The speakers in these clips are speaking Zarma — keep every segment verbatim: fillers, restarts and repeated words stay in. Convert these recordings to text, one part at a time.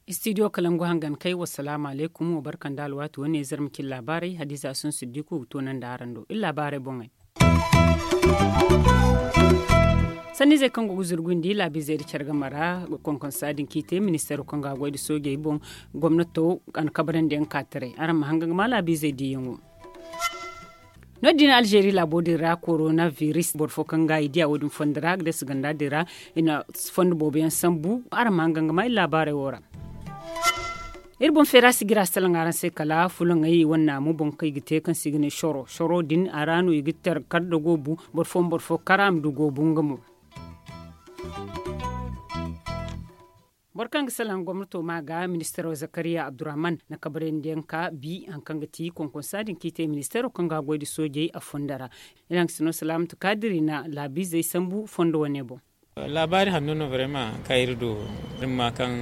Istidiyo kalangu hangan kay, wassalaamu alaykum, wa barka nda alwaati wane zarma cin laabaarey, hadiza sun siddiku ga toonandi araŋ do iri laabaarey boŋey. Sanniizey kaŋ go ga zurgundi laabiizey nda care game ra, konkonsa din kaŋ i te ministeero kaŋ ga a goy nda soojey boŋ, gomnato a na kabrandi yaŋ ka taray. Araŋ ma hangan ga ma laabiizey diiyaŋo. No- din alzeeri laabo din ra korona viris boro fo kaŋ ga i diya wo- din fondo ra ga deesi ganda din ra, i na fondo boobo yaŋ sambu. Araŋ ma hangan ga ma iri laabaarey wo ra. Iri boŋ feera si jira salaŋ araŋ se kala fulaŋey wane naamu boŋ kaŋ i ga te kaŋ se i ga ne soro soro din a ra no i ga tere kar da goobu. Boro fo ma boro fo kar a ma du goobu nga mo. Boro kaŋ ga salaŋ gomnato ma ga ministaro zakariya abdurrahman na kabrandi yaŋ ka bi hari kaŋ ga ti konkonsa din kaŋ i te ministaro kaŋ ga a goy nda soojey a fondo ra. Iri haŋ ga sino salaamatu kaadiri na laabiizey sambu fondo wane boŋ. Laabaari hanno no barema kaŋ iri du. Iri ma kaŋ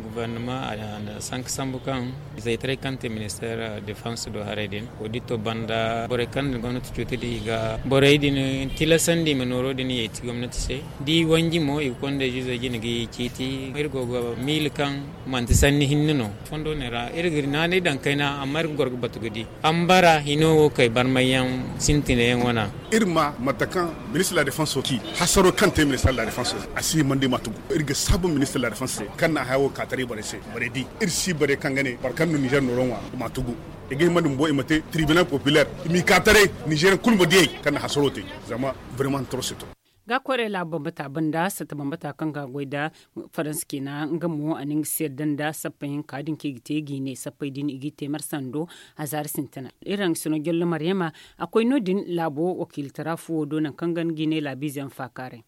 guvernama a na sanka sambu kaŋ izaytaray kaŋ te minister defans do haray din odito banda borey kaŋ din gomnati cuuti di i ga borey din tilasandi i ma nooro din yeeti gomnati se. Da i wanji mo i ga konda izo jine ga i ciiti. Iri go ga miila kaŋ manti sanni hinne no. Fondo ne ra iri ga naanay daŋ kayna amma iri ga goro ga batu ga di. Ambara hino wo kay barmayyaŋ sintineyaŋ wana. Iri ma mate kaŋ ministre de la defense ci hasaro kaŋ te ministre de la defense a si himandi ma tugu. Iri ga saabu ministre de la defense se kaŋ na haya wo ka taray borey se borey di. Iri si borey kaŋ ga ne boro kaŋ no niger nooro ŋwa i ma tugu. I ga himandi bumbo i ma te tribunal populaire i m'i ka taray. Niger kulu ma diyey kaŋ na hasaro te zama vraiment trop c'est trop. Ga koyray laabo bambata banda satta bambata kaŋ ga goy nda faransa ciina nga mo a na nga se yadda nda sappey hinka din kaŋ i ga te g'i ne sappey din i g'i te marsando. A zaari sintina iri haŋ ga sino jollo maryama a koy no- din laabo wakiilitara fuwo do nangu kaŋ ga nga g'i ne laabiize ma faakaaray.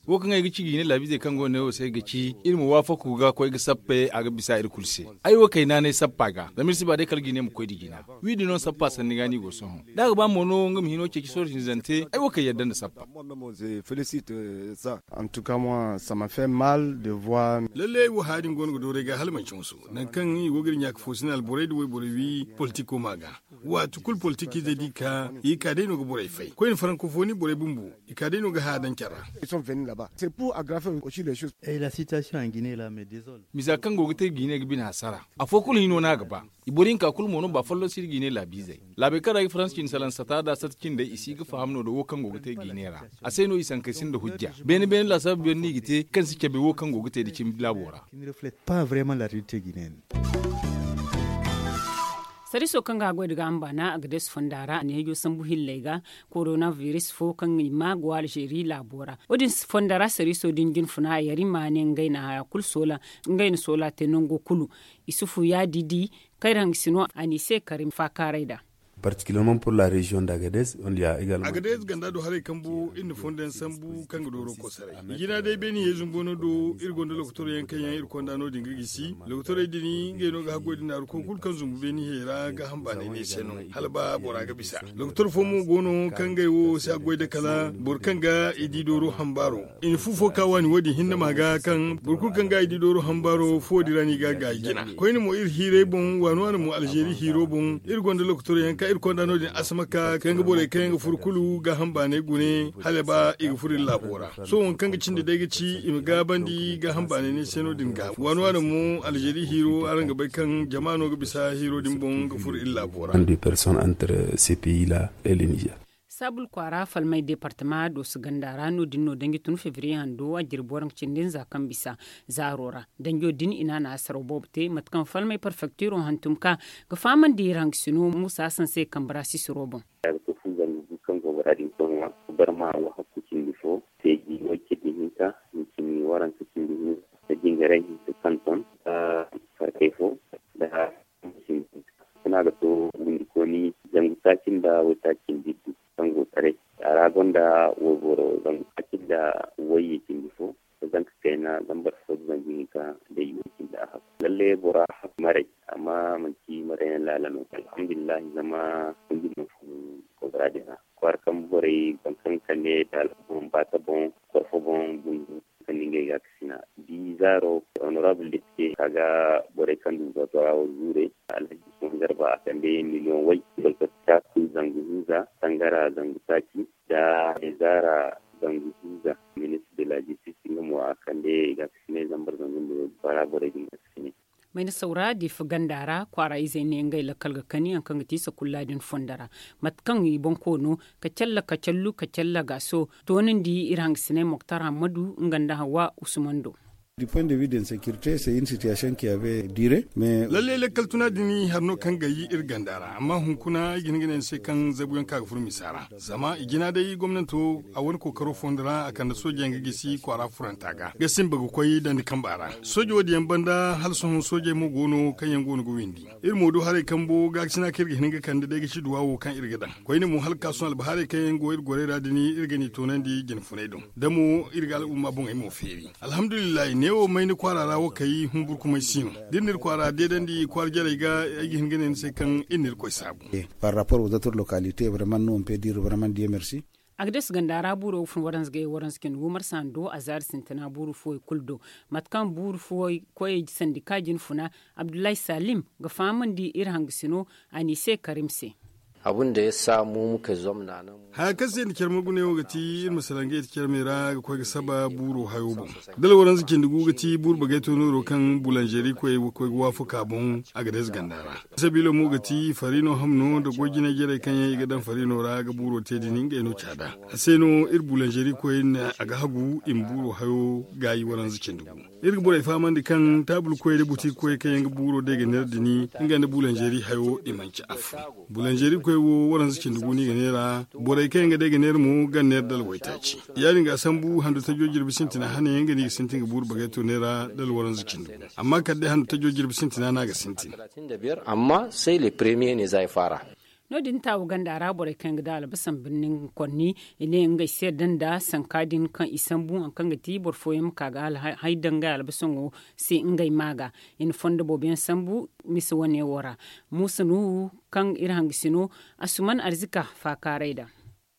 Wo kaŋ ay ga ci g'i ne laabiizey kaŋ go no ay wo se ga ci iri ma waafaku ga koy ga sappe a ga bisa iri kulu se. Ay wo kay naanay sappa ga zama iri si ba day kala g'i ne ma koy nda jina. Wi din no sappa sanni ga no i go sohõ da a ga ba mo no nga ma hino ceeci sohõ hinzante ay wo kay yadda nda sappa. Lallai ay wo haya din go no ga dooru ay ga hala manci musu nangu kaŋ i go ga iri ɲaaka fo sina alborey nda wayborey wi politiko ma ga. Waati kulu politikiizey da i ka i ga ka day no ga borey fay koyne farankofoni borey bumbo i ka day no ga haya daŋ care ra. Misa kaŋ go ga te ga i ne ga bine hasara. Afo kulu hino no a ga ba. I boro hinka kulu mo no ba folloŋ si iri ga i ne laabiizey. Laabey kaŋ ra i ga faransa cindi salaŋ sata nda sata cindey i si ga faham no nda wo kaŋ go ga te ga i ne ra. A se no i sankey sinda hujja beene beene laasaabu beene no i ga te kaŋ si cabe wo kaŋ go ga te nda cimi laabo ra. Sariiso kaŋ ga a goy nda gaaham baana a ga deesu fonda ra a na yeejo sambu hilley ga. Korona viris fo kaŋ i ma go alzeeri laabo ra wo- din fonda ra sariiso din jinfuna a yari ma ne ngey na haya kulu soola. Ngey na soola te nango kulu. Isufu yaadi di kayra nga si no a n'i se kari faakaaray nd'a. Particulièrement pour la région d'agades. Agades ganda do haray kambu iri na fondo yaŋ sambu kaŋ ga dooro kosaray. Jina day beene yeezumbo no do iri gonda lokotorey yaŋ kaŋ yaŋ iri konda no- din ga gisi lokotorey din ngey no ga haggoy din naaru ko kulu kaŋ zumbu beene hey ra gaaham baanay ne se no. Hala ba bora ga bisa lokotor fo mo go no kaŋ ngey wo si haggoy da kala boro kaŋ ga i di dooro hambaaro. I na fu fo ka waani wo- din hinne ma ga kaŋ boro kulu kaŋ ga i di dooro hambaaro fuwo din ra no i ga gaayi jina. Koyne mo iri hiiray boŋ waani waani mo alzeeri hiiro boŋ iri gonda lokotorey yaŋ kaŋ iri konda no- din asamaka kaŋ ga borey kaŋ yaŋ ga furo kulu gaaham baanay gune hala ba i ga furo iri laabo ra. Sohõ waŋ kaŋ ga cindi day ga ci i ma gaabandi gaaham baanay ne se no- din ga waani waani mo alzeeri hiiro araŋ ga bay kaŋ jama no ga bisa hiiro din boŋ ga furo iri laabo ra. Personnes entre ces pays là et le niger. Saabul kwaara falmay departama dooso ganda ra no- din no danji tun febriye hando a jirbi waranka cindi nza kaŋ bisa zaaro ra. Danjo din i na a na asaro boobo te mate kaŋ falmay perfektiro hantum ka ga fahamandi iri haŋ ga sino muusa hasan se kambe ra sisiro boŋ. Ga to fu zangu gu kaŋ go ga ra din sohõ barma wo hakku cindi fo feeji way cindi hinka hincini waranka cindi hinka da jingaray hinka kanton da farkay fo da. Sina ga to windi kooni zangu taaci nda waytaaci nda iddu kaŋ go taray a ra gonda wayboro zangu taaci nda wayye cindi fo da zanka kayna zambar fo da zangu hinka da iway cindi a hakku lalle bora hakku maray. Amma manci maray yaŋ laala no alhamdulillahi zama hundu no fun kobra din ra kwaara kambe borey boro kaŋ kande daala boŋ baata boŋ korfo boŋ bundu kaŋ ni ngey ga kasina di. Zaaro, honorable depite ka ga borey kaŋ du zotora wo zuure. Alhaji usman garba a kande miliyoŋ way, balkasi taaku zangu hinza, sangara zangu taaci, nda zaara zangu hinza. Ministre de la justice nga mo a kande i ga a kasinay zambar zangu nda waygu kwaara borey din ga a kasinay. Mayna sawra difa ganda ra kwaara izey ne ngey lakkal ga kani yaŋ kaŋ ga ti sakulla din fondo ra. Mate kaŋ i boŋ koono, kacalla kacallu kacalla gaaso, toonandi iri hangasiney moktar hammadu nga nda hawa usman do. Lalle lakkal tuna din hari no kaŋ ga yi iri ganda ra amma hunkuna ay ga hin ga ne ni se kaŋ zabuyaŋ ka ga furo misa ra. Zama i jina day gomnanto a wane kookaro fondo ra a kande soojeyaŋ ga gisi kwaara furanta ga ga simba ga koy dandi kamba ra. Sooje wo- din yaŋ banda hala sohõ soojey mo go no kaŋ yaŋ go no ga windi. Iri mo du haray kambo gaakasina kaŋ iri ga hin ga kande day ga ci duwa wo kaŋ iri ga daŋ. Koyne mo hala ga ka sohõ albahaarey kaŋ yaŋ go iri gorey ra din iri ga ni toonandi jine funay do. Da mo iri ga al'umma boŋey mo feeri. Alhamdulillahi neewo mayni kwaara ra wo kay humburkumay si no. Da iri na iri kwaara deedandi kwaara jarey ga ay ga hin ga ne ni se kaŋ iri na irkoy saabu. Par rapport aux autres localités vraiment no on peut dire vraiment dieu merci. Agades ganda ra buuro ga fun waranza ga ye waranza cindi gu marsa hando a zaari sintina buuru fuwey kulu do. Mate kaŋ buuru fuwey koyey sandika jina funa, abdullahi salim ga fahamandi iri hangasino a n'i se karim se. Haya kaŋ se i na care marguney wo ga ti iri ma salaŋ ga i ti care me ra ga koy ga saba buuro hayo boŋ. Dala waranza cindi gu ga ti buuru bagay to nooro kaŋ bulanzeri koy ga waafaka boŋ. Agades ganda ra sabiilo mo ga ti fariino hamno nda goy jinay jarey kaŋ yaŋ i ga daŋ fariino ra ga buuro te din ngey no caada. A se no iri bulanzeri koy a ga hagu i ma buuro hayo gaayi waranza cindi gu. Iri ga borey fahamandi kaŋ taabul koyey nda butik koyey kaŋ yaŋ ga buuro day ga neera din nga nda bulanzeri hayo i manci afo. Bulanzeri koy wo waranza cindi gu no i ga neera. Borey kaŋ yaŋ ga day ga neera mo ga neera dala waytaaci. Ya- din ga a sambu hando tajo jirbi sintina hane yaŋ ga no i ga sintin ga buuru bagay to neera dala waranza cindi gu. Amma kala day hando tajo jirbi sintina no a ga sintin. Amma se le premier ne za ay faara. No- din taawu ganda ra borey kaŋ yaŋ ga daŋ albasan birni nga konni i ne ngey se da nda sanka din kaŋ i sambu hari kaŋ ga ti boro fooyaŋ ma ka ga hay daŋ ngey albasaŋo se ngey ma ga. I na fondo boobo yaŋ sambu misa wane wo ra. Muusa nuhu kaŋ iri hangasino asuman arzika faakaaray da.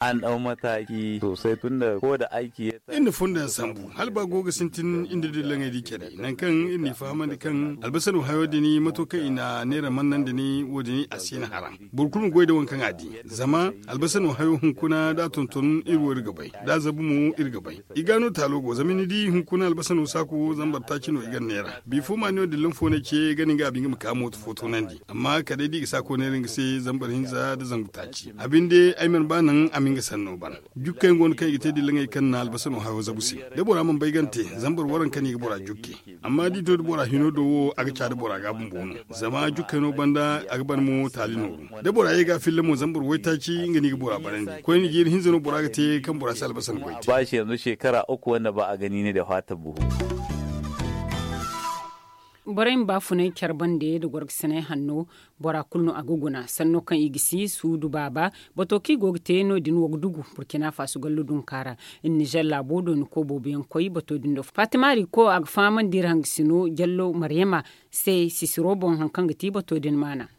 An daw mataki sosai tun da ko da aiki ya ta iri na fondo yaŋ sambu hala ba go ga sintin iri nda dillaŋey di care nangu kaŋ iri n'i fahamandi kaŋ albasano hayo din mato kaŋ i na neera mannandi ni wo- din a si na haram. Boro kulu ma goy nda waŋ kaŋ a di. Zama albasano hayo hunkuna da a tonton iri wo iri ga bay da a zabu mo iri ga bay. I ga no taalo go zama ni di hunkuna albasano saako zambar taaci no i ga neera bifo ma ni wo dillan fo no ce ga ni ga a binga ma ka mooto fo toonandi. Amma kala day da i ga saako neera nga se zambar hinza nda zangu taaci a binde ay mana ba naŋ a ma nga sanno ban. Jukkey go no kaŋ i ga te dillaŋey kaŋ na albasano hayo zabu se da bora mana bay gante. Zambar waranka no i ga bora jukke. Amma da i to da bora hino do wo a ga ca da bora ga bumbo no. Zama jukkey no banda a ga ban mo taali nooru da bora ye ga filla mo zambar waytaaci nga no i ga bora barandi koyne jeeri hinza no bora ga te kaŋ bora si albasano goy te. Ba shi yanzu shekara uku wanda ba a gani ne da fata buhu. Borey ma baafunay care bande nda gorgasinay hanno. Bora kulu no a ga guna sanno kaŋ i ga si suudu baaba. Bato kaŋ i go ga te no- din wo ga dugu burkina faso gallu dunka ra. Iri nizer laabo dooni ko boobo yaŋ koy bato din do fatima ri ko a ga fahamandi iri hangasino jallo maryama se sisiro boŋ hari kaŋ ga ti bato din maana.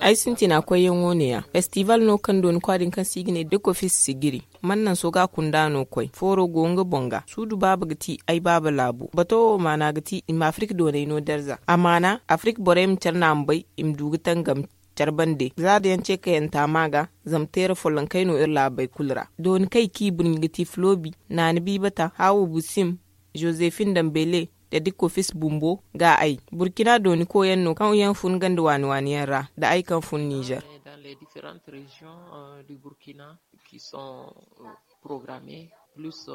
Ay sintina koyyaŋo ne- ya festival no kaŋ dooni kwa din kaŋ se i ga ne dekofis sigiri. Man nanso ga a kunda no koy fooro go nga boŋ ga suudu baaba ga ti ay baaba laabo bato wo maana ga ti i ma afirka doonay no darza a maana afirka borey ma care no a ma bay i ma du ga tangam. Care bande za da yaŋ ce kayanta ma ga zama teera follonkey no iri laabey kulu ra dooni kaŋ i k'i burɲi ga ti flobi naani biibata haawo busim, josefin dambele, da dikko fis bumbo ga ay burkina dooni koyaŋ no kaŋ yaŋ fun ganda waani waani yaŋ ra da ay kaŋ fun nizer. Dans les différentes régions du burkina qui sont programmées plus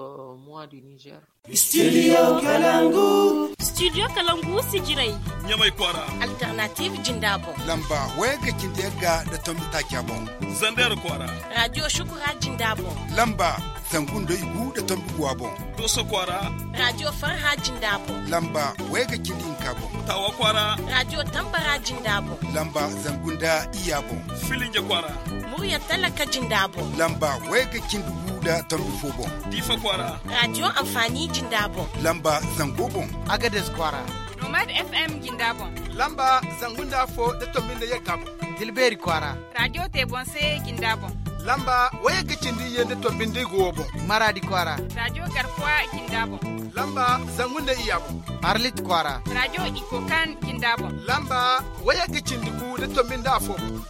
moi du nizer. Studio kalangu. Studio kalangu sijirey. Ɲamay kwaara. Alternative jinda boŋ. Lamba wayga cindi yagga da tombi taaca boŋ. Zander kwaara. Radio shukura jinda boŋ. Lamba zangu nda igu da tombi guwa boŋ. Doso kwaara. Radio farha jinda boŋ. Lamba wayga cindi hinka boŋ. Tawa kwaara. Radio tambara jinda boŋ. Lamba zangu nda iya boŋ. Filinja kwaara. Murya talaka jinda boŋ. Lamba wayga cindi gu da tombi fo boŋ. Diifa kwaara. Radio anfaani jinda boŋ. Lamba zango boŋ. Agades kwaara. Nomad fm jinda boŋ. Lamba zangu nda fo da tombi nda yagga boŋ. Tilbeeri kwaara. Radio te boŋ se jinda boŋ. Lamba wayagga cindi iyye nda tombi nda igu wo boŋ. Maraadi kwaara. Raajo garkuwa jinda boŋ. Lamba zangu nda iyya boŋ. Arlit kwaara. Raajo ikokan jinda boŋ. Lamba wayagga cindi gu nda tombi nda afo boŋ.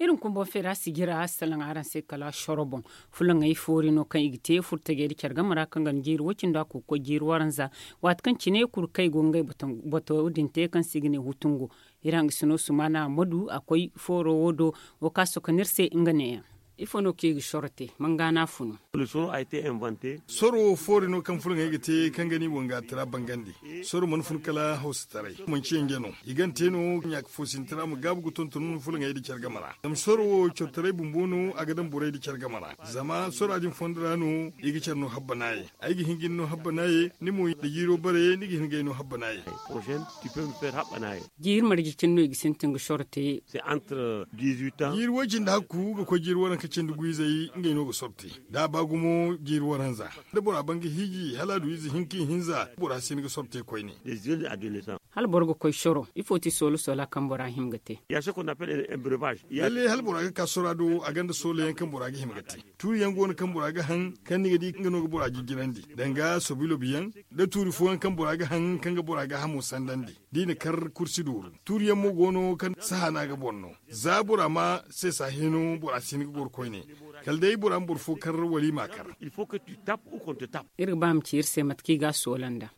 Iri na kumbo feera sijira salaŋ araŋ se kala soro boŋ. Fulaŋey foori no kaŋ i ga te furtajey nda care game ra kaŋ ga na jiiri wo cindi a koy ga koy jiiri waranza. Waati kaŋ cine kulu kaŋ i go ga ngey bato din te kaŋ se i ga ne hutungo. Iri hangasino sumaana a ma du a koy fooro wo do. Wo ka soka no iri se nga neeyaŋ. Ifo no kaŋ i ga soro te? Manga no a funu? Soro wo foori no kaŋ fulaŋey ga te kaŋ ga ni wanga tira bangandi. Soro mana fun kala hawsataray manci yanje no. I ga ni te no ɲaaka foosinta ra ma gaabu ga tonton fulaŋey nda care game ra. Zama soro wo cortaray bumbo no a ga daŋ borey nda care game ra. Zama sora din fondo ra no i ga care no habbanaye. Ay ga hin ga ni no habbanaye, ni mo da jiiro bare ni ga hin ga ay no habbanaye. Jiiri marje cine no i ga sintin ga soro te? Jiiri way-cindi hakku ga koy jiiri waranka cindi gu izey ngey no ga soro te. Da a ba gumo jiiri waranza da bora ban ga hiiji hala a du ize hinka ihinza bora si hin ga soro te koyne. Hala boro ga koy soro ifo ti soola soola kaŋ bora hima ga te? Lalle hala bora ga ka sora do a gonda soola yaŋ kaŋ bora ga hima ga te. Tuuri yaŋ go no kaŋ bora ga haŋ kaŋ ni ga di nga no ga bora jijjirandi danga sobilobi yaŋ, da tuuri fooyaŋ kaŋ bora ga haŋ kaŋ ga bora gaahamo sandandi. Da i na kar kursi dooru tuuri yaŋ mo go no kaŋ sahaana ga boŋ no. Za bora ma seesa hino bora si hin ga goro koyne. Kala day bora ma boro fo kar wala i m'a kar. Iri ga ba ma ci iri se mate kaŋ i ga a soola nda.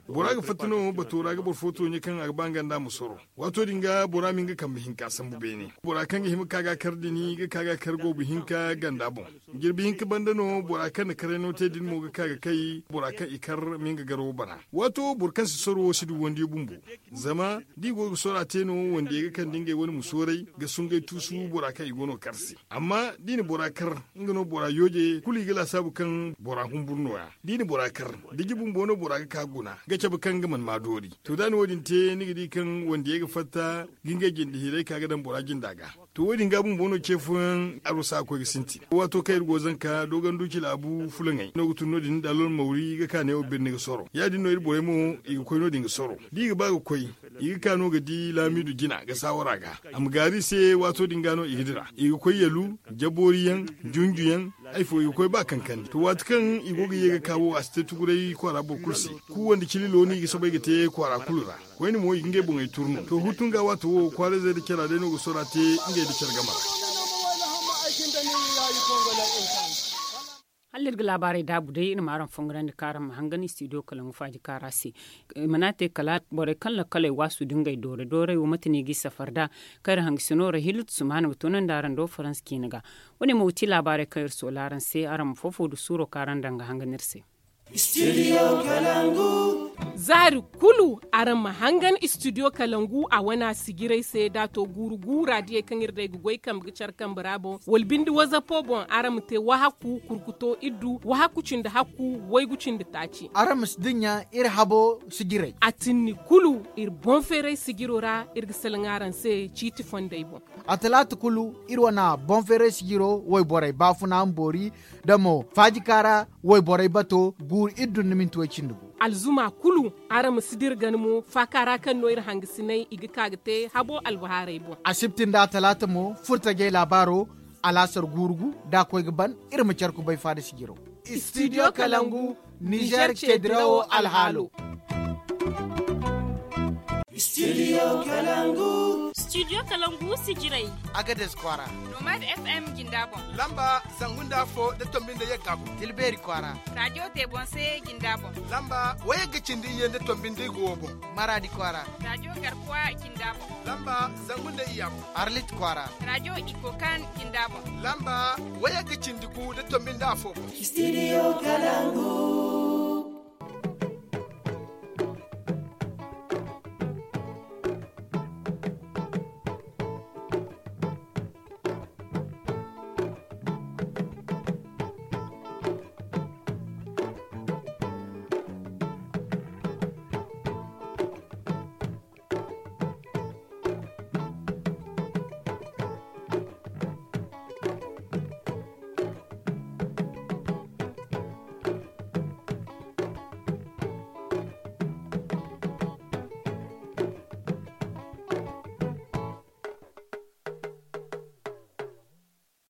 Bora ga fatta no bato ra ga boro fo tooɲe kaŋ a ga ba nga nda a ma soro. Waato din ga bora ma hin ga kambe hinka sambu beene. Bora kaŋ ga hima ga ka ga a kar din ga ka ga a kar goobu hinka ganda boŋ. Jirbi hinka banda no bora kaŋ na karay no te din mo ga ka ga kay bora kaŋ i kar ma nga garo bana. Waato boro kaŋ si soro wo si du wandiyo bumbo. Zama da i go ga sora te no wandiyey ga kande ngey wane ma sooray ga sungay tuusu bora kaŋ i go no ga kar se. Amma da i na bora kar nga no bora yooje kulu i ga laasaabu kaŋ bora humburu nooya. Da i na bora kar diji bumbo no bora ga ka guna ga cabe kaŋ nga mana ma doori. To da a na wo- din te ni ga di kaŋ wandiyey ga fatta ga ngey jinde hiray ka ga daŋ bora jinda ga. To wo- din ga bumbo no ce fooyaŋ arwasa ga koy ga sintin. Waato kaŋ iri go zanka dooganduci laabu fulaŋey no ga tun no- din da alol mawri ga ka neewo birni ga soro ya- din no iri borey mo i ga koy no- din ga soro. Da i ga ba ga koy i ga ka no ga di laamiidu jina ga saawara ga. A ma gaari i se waato din ga no i ga dira i ga koy yalu jaboori yaŋ junju yaŋ. Ay fo i ga koy ba kankandi to waati kaŋ i go ga ye ga ka wo a si te tuguray kwaara boro kulu se. Kuwandi cililo no i ga soobay ga te kwaara kulu ra. Koyne mo i ga ngey boŋey turu no to hutu nga waato wo kwaarayzey nda cara day no ga sora te ngey nda care game ra. Hala iri ga laabaarey daabu day iri ma araŋ fongarandi kaŋ araŋ ma hangan istidiyo kalangu faaji kaara se. I mana te kala borey kaŋ lakkaley waasu da ngey doore doorey wo mate no i g'i safar nd'a kaŋ iri hangasino ra hilutu sumaana ga toonandi araŋ do faransa ciine ga. Wo- ne mo ga ti laabaarey kaŋ iri soola araŋ se araŋ ma foofo du suuro kaŋ araŋ daŋ ga hangan iri se. Zaari kulu araŋ ma hangan istidiyo kalangu a wana sijirey se da a to guuru guura diyey kaŋ iri day ga goy kambe ga care kambe ra boŋ wala binde wazapo boŋ araŋ ma te wahakku kurkuto iddu wahakku cindi hakku waygu cindi taaci. Araŋ ma si dinya iri habo sijirey a tinni kulu iri boŋ feeray sijiro ra iri ga salaŋ araŋ se ciiti fondey boŋ. A talaata kulu iri wana boŋ feeray sijiro wayborey baafuna ma boori da mo faaji kaara wayborey bato guuru iri dun ni minti way cindi gu. Alzuma kulu araŋ ma si dira gana mo faaka ra kaŋ no iri hangasinay i ga ka ga te habo albahaarey boŋ. Asibti nda talaata mo furtajey laabaaro alaasar guuru gu da a koy ga ban iri ma care kubay faada sijiro. Istidiyo kalangu nizer cedirawo alhaalo. Studio kalangu. Studio kalangu sijirai. Agades kwara. Nomad fm jinda boŋ. Lamba zangu nda fo da tombi nda yagga boŋ. Tilberi kwara. Radio tebonse jinda boŋ. Lamba wayagga cindi iye nda tombi nda igo boŋ. Maradi kwara. Radio garkuwa jinda boŋ. Lamba zangu nda iya boŋ. Arlit kwara. Radio ikokan jinda boŋ. Lamba wayagga cindi gu da tombi nda afo boŋ. Studio kalangu.